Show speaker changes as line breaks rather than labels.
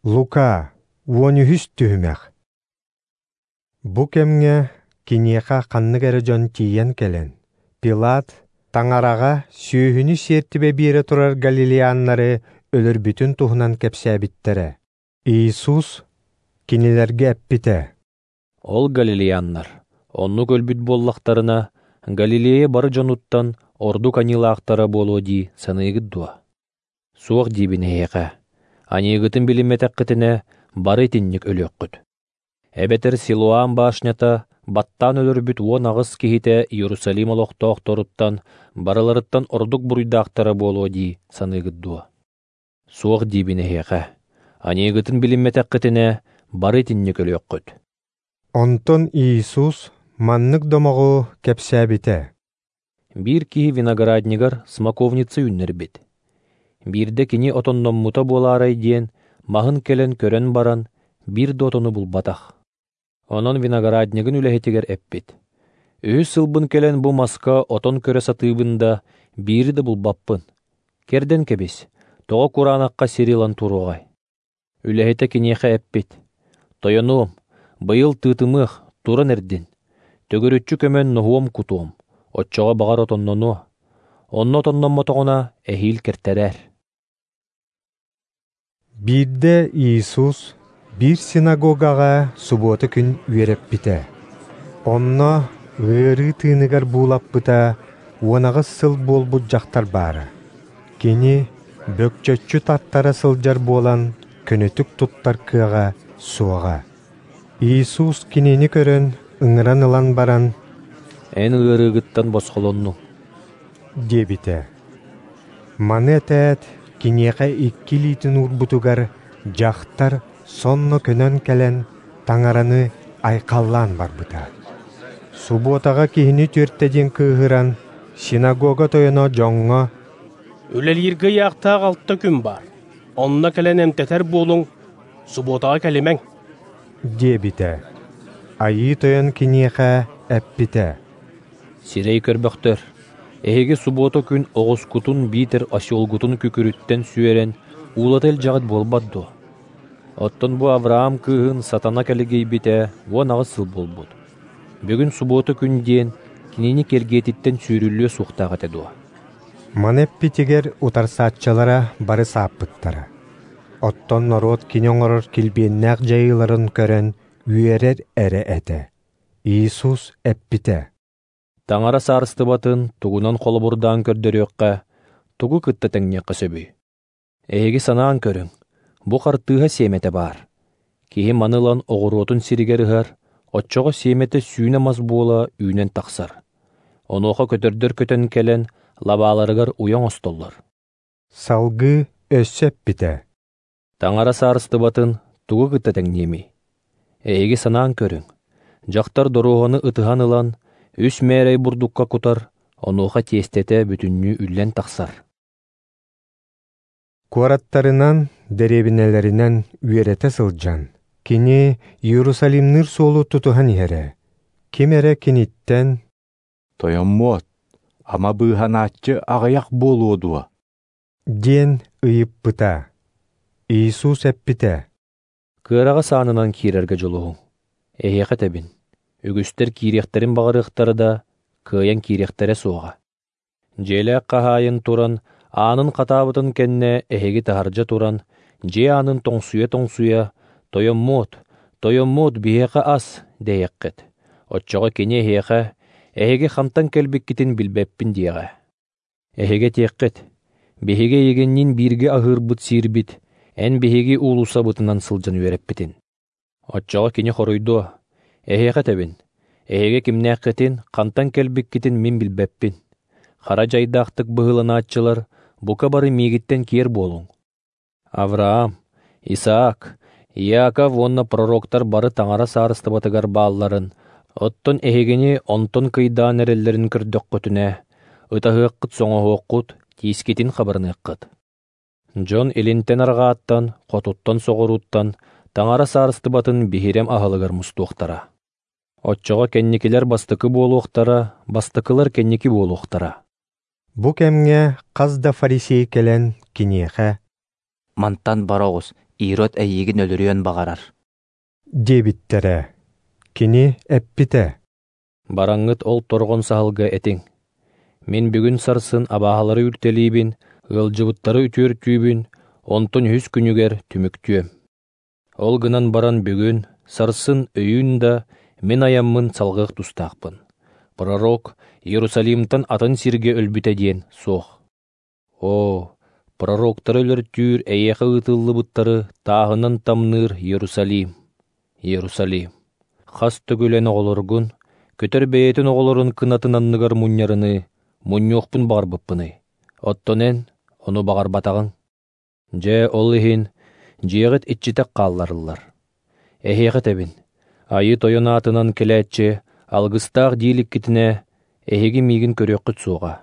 Лука, 13 түһүмэх. Бу кэмҥэ киниэхэ ханнык эрэ дьон тиийэн кэлэн, Пилат Таҥараҕа сүөһүнү сиэртибэ биэрэ турар галилеяннары өлөрбүтүн туһунан кэпсээбиттэрэ. Иисус кинилэргэ эппитэ:
Ол галилеяннар оннук өлбүт буоллахтарына, Галилея бары дьонуттан ордук аньыылаахтара буолуо дии саныыгыт дуо? Суох диибин эһиэхэ, аньыыгытын билиммэтэххитинэ, бары итинник өлүөххүт. Эбэтэр Силоам башнята баттаан өлөрбүт 18 киһитэ Иерусалим олохтоохторуттан барыларыттан ордук буруйдаахтара буолуо дии саныыгыт дуо? Суох диибин эһиэхэ, аньыыгытын билиммэтэххитинэ, бары итинник өлүөххүт.
Онтон Иисус маннык домоҕу кэпсээбитэ.
Биир киһи винограднигар смоковница үүннэрбит. Биирдэ кини отонноммута буолаарай диэн маһын кэлэн көрөн баран, биир да отону булбатах. Онон винограднигын үлэһитигэр эппит: «Үһүс сылбын кэлэн бу маска отон көрө сатыыбын да, биири да булбаппын. Кэрдэн кэбис, тоҕо кураанахха сири ылан туруоҕай?» Үлэһитэ киниэхэ эппит: «Тойонуом, быйыл тыытымыах, туран эрдин. Төгүрүччү көмөн ноһуом кутуом, оччоҕо баҕар отоннонуо. Онно отонноммотоҕуна эһиил кэртэрээр».
Биирдэ Иисус биир синагогаҕа субуота күн үөрэппитэ. Онно ыарыы тыыныгар буулаппыта 18 сыл буолбут дьахтар баара. Кини бөкчөччү таттара сылдьар буолан көнөтүк туттар кыаҕа суоҕа. Иисус кинини көрөн ыҥыран ылан баран,
«Эн ыарыыгыттан босхолоннуҥ»
диэбитэ. Маны этээт, киниэхэ икки илиитин уурбутугар дьахтар сонно көнөн кэлэн Таҥараны айхаллаан барбыта. Субуотаҕа киһини түөртэ диэн кыыһыран, синагога тойоно дьоҥҥо
«Үлэлииргэ ыйаахтаах 6 күн баар, онно кэлэн эмтэтэр буолуҥ, субуотаҕа кэлимэҥ»
диэбитэ. Айыы тойон киниэхэ эппитэ:
«Сирэй көрбөхтөр, эһиги субуота күн оҕускутун биитэр оселгутун күкүрүттэн сүөрэн уулата илдьэҕит буолбат дуо? Оттон бу Авраам кыыһын сатана кэлигийбитэ 18 сыл буолбут. Бүгүн субуота күн диэн кинини кэлгиэтиттэн сүүрүллүө суохтаах этэ дуо?»
Маны эппитигэр утарсааччылара бары сааппыттара. Оттон норуот кини оҥорор килбиэннээх дьайыыларын көрөн үөрэр эрэ этэ. Иисус эппитэ:
Таҥара саарыстыбатын тугунан холобурдаан көрдөрүөххэ, тугу кытта тэҥниэххэ сөбүй? Эһиги санаан көрүҥ, бу хартыыһа сиэмэтэ баар. Киһи маны ылан оҕуруотун сиригэр ыһар, оччоҕо сиэмэтэ сүүнэ мас буола үүнэн тахсар. Онуоха көтөрдөр көтөн кэлэн лабааларыгар уйа оҥостоллор.
Салгыы өссө эппитэ:
Таҥара саарыстыбатын тугу кытта тэҥниэмий? Эһиги санаан көрүҥ, дьахтар доруоһаны ытыһан ылан, 3 мээрэй бурдукка кутар, онуоха тиэстэтэ бүтүннүү үллэн тахсар.
Куораттарынан, дэриэбинэлэринэн үөрэтэ сылдьан, кини Иерусалимныыр суолу тутуһан иһэрэ. Ким эрэ киниттэн
«Тойоммуот, ама быыһанааччы аҕыйах буолуо дуо?»
диэн ыйыппыта. Иисус эппитэ:
«Кыараҕа саанынан киирэргэ дьулуһуҥ. Эһиэхэ этэбин, үгүстэр киириэхтэрин баҕарыахтара да, кыайан киириэхтэрэ суоҕа. Дьиэлээх хаһаайын туран, аанын хатаабытын кэннэ эһиги таһырдьа туран, дьиэ аанын тоҥсуйа-тоҥсуйа, «Тойоммуот, тойоммуот, биһиэхэ ас» дэйэххит. Оччоҕо кини эһиэхэ, «Эһиги хантан кэлбиккитин билбэппин» диэҕэ. Эһиги этиэххит: «Биһиги эйигинниин бииргэ аһыырбыт сиирбит, эн биһиги уулуссабытынан сылдьан үөрэппитин». Оччоҕо кини хоруйдуо: «Эһиэхэ этэбин, эһиги кимнээххитин, хантан кэлбиккитин мин билбэппин. Хара дьайдаахтык быһыыланааччылар, бука бары миигиттэн киэр буолуҥ. Авраам, Исаак, Иаков уонна пророктар бары Таҥара саарыстыбатыгар баалларын, оттон эһигини онтон кыйдаан эрэллэрин көрдөххүтүнэ, ытаһыаххыт соҥоһуоххут, тиискитин хабарыныаххыт. Дьон илинтэн арҕааттан, хотуттан соҕурууттан Таҥара саарыстыбатын биһирэм аһылыгар мустуохтара. Оччоҕо кэнникилэр бастакы буолуохтара, бастакылар кэнники буолуохтара».
Бу кэмҥэ хас да фарисей кэлэн киниэхэ
«Мантан бара оҕус, Ирод эйигин өлөрүөн баҕарар.
Диэбиттэрэ. Кини эппитэ:
Бараҥҥыт ол торҕон саһылга этиҥ. Мин бүгүн сарсын абааһылары үүртэлиибин, ыалдьыбыттары үтүөртүүбүн, онтон үһүс күнүгэр түмүктүөм. Ол гынан баран бүгүн, сарсын өйүүн да мин айаммын салҕыах тустаахпын. Пророк Иерусалимтан атын сиргэ өлбүтэ диэн суох. Оо, пророктары өлөртүүр эйиэхэ ыытыллыбыттары тааһынан тамныыр Иерусалим, Иерусалим! Хас төгүл эн оҕолоргун, көтөр бэйэтин оҕолорун кынатын анныгар мунньарыныы, мунньуохпун баҕарбыппыный, оттон эн ону баҕарбатаҕыҥ. Дьэ, ол иһин дьиэҕит иччитэх хаалларыллар. Эһиэхэ этэбин, Айыы Тойон аатынан кэлээччи алгыстаах дии иликкитинэ, эһиги миигин көрүөххүт суоҕа.